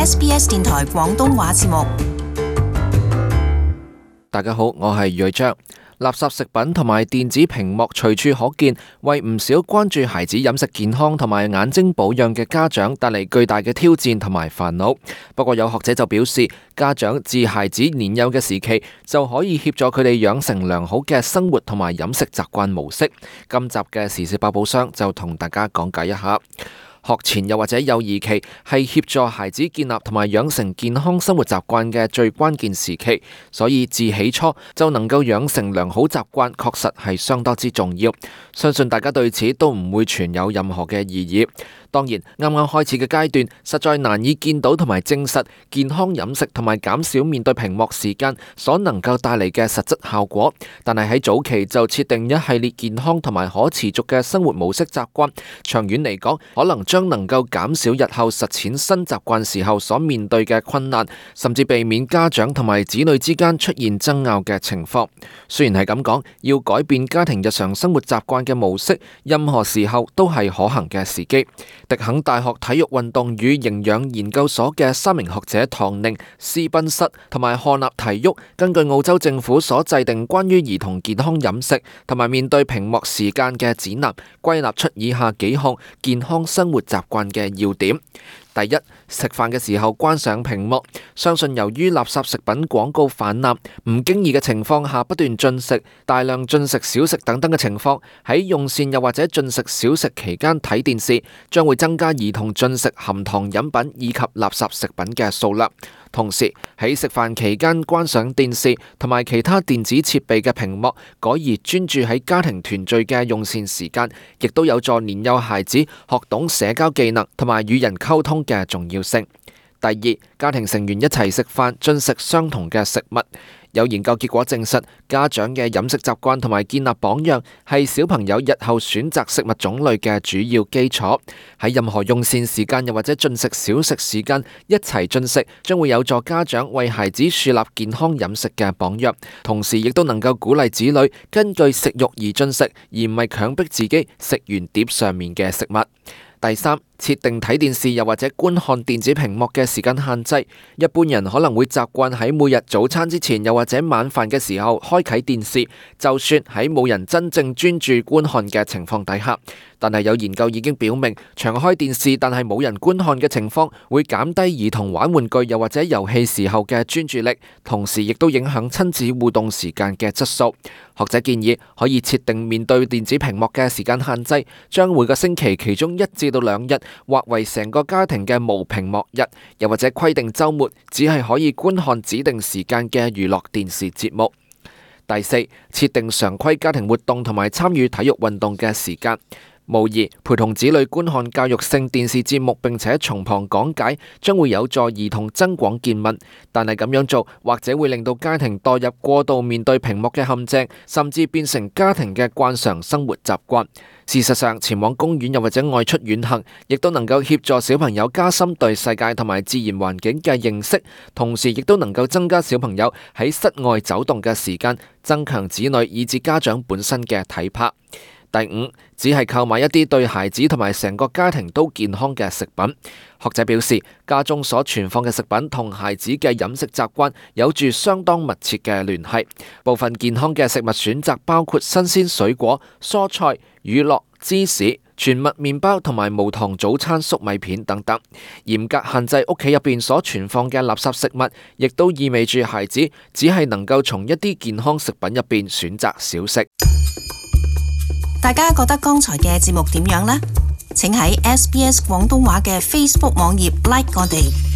SBS 電台廣東話節目。大家好，我係睿章。垃圾食品同埋電子屏幕隨處可見，為唔少關注孩子飲食健康同埋眼睛保養嘅家長帶嚟巨大嘅挑戰同埋煩惱。不過有學者就表示，家長自孩子年幼嘅時期就可以協助佢哋養成良好嘅生活同埋飲食習慣模式。今集嘅時事百寶箱就同大家講解一下。學前又或者幼兒期係協助孩子建立同埋養成健康生活習慣嘅最關鍵時期，所以自起初就能夠養成良好習慣，確實係相當之重要。相信大家對此都唔會存有任何嘅異議。當然，啱啱開始嘅階段，實在難以見到同埋證實健康飲食同埋減少面對屏幕時間所能夠帶嚟嘅實質效果。但係喺早期就設定一系列健康同埋可持續嘅生活模式習慣，長遠嚟講，可能將能夠減少日後實踐新習慣時候所面對嘅困難，甚至避免家長同埋子女之間出現爭拗嘅情況。雖然係咁講，要改變家庭日常生活習慣嘅模式，任何時候都係可行嘅時機。迪肯大學體育運動與營養研究所嘅3名學者唐寧、斯賓塞同埋漢納提沃，根據澳洲政府所制定關於兒童健康飲食同埋面對屏幕時間嘅指南，歸納出以下幾項健康生活習慣嘅要點。第一，食飯嘅時候關上屏幕。相信由於垃圾食品廣告氾濫，唔經意嘅情況下不斷進食、大量進食小食等等嘅情況，喺用膳又或者進食小食期間睇電視，將會增加兒童進食含糖飲品以及垃圾食品嘅數量。同時喺食飯期間關上電視同埋其他電子設備嘅屏幕，改而專注喺家庭團聚嘅用膳時間，亦都有助年幼孩子學懂社交技能同埋與人溝通嘅重要性。第二，家庭成員一齊食飯，進食相同嘅食物。有研究結果證實，家長嘅飲食習慣同埋建立榜樣係小朋友日後選擇食物種類嘅主要基礎。喺任何用膳時間又或者進食小食時間一齊進食，將會有助家長為孩子樹立健康飲食嘅榜樣，同時亦都能夠鼓勵子女根據食慾而進食，而唔係強迫自己食完碟上面嘅食物。第三，設定睇電視又或者觀看電子屏幕嘅時間限制。一般人可能會習慣喺每日早餐之前又或者晚飯嘅時候開啟電視，就算喺冇人真正專注觀看嘅情況底下。但係有研究已經表明，長開電視但係冇人觀看嘅情況，會減低兒童玩玩具又或者遊戲時候嘅專注力，同時亦都影響親子互動時間嘅質素。學者建議可以設定面對電子屏幕嘅時間限制，將每個星期其中1至到2日劃為成個家庭嘅無屏幕日，又或者規定週末只係可以觀看指定時間嘅娛樂電視節目。第四，設定常規家庭活動同埋參與體育運動嘅時間。無疑，陪同子女觀看教育性電視節目並且從旁講解，將會有助兒童增廣見聞。但係咁樣做，或者會令到家庭墮入過度面對屏幕嘅陷阱，甚至變成家庭嘅慣常生活習慣。事實上，前往公園又或者外出遠行，亦都能夠協助小朋友加深對世界同埋自然環境嘅認識，同時亦都能夠增加小朋友喺室外走動嘅時間，增強子女以至家長本身嘅體魄。第五，只係購買一啲對孩子同埋成個家庭都健康嘅食品。學者表示，家中所存放嘅食品同孩子嘅飲食習慣有住相當密切嘅聯繫。部分健康嘅食物選擇包括新鮮水果、蔬菜、乳酪、芝士、全麥麵包同埋無糖早餐粟米片等等。嚴格限制屋企入邊所存放嘅垃圾食物，亦都意味住孩子只係能夠從一啲健康食品入邊選擇小食。大家覺得剛才嘅節目點樣呢？請喺SBS 廣東話嘅 Facebook 網頁 like 我哋。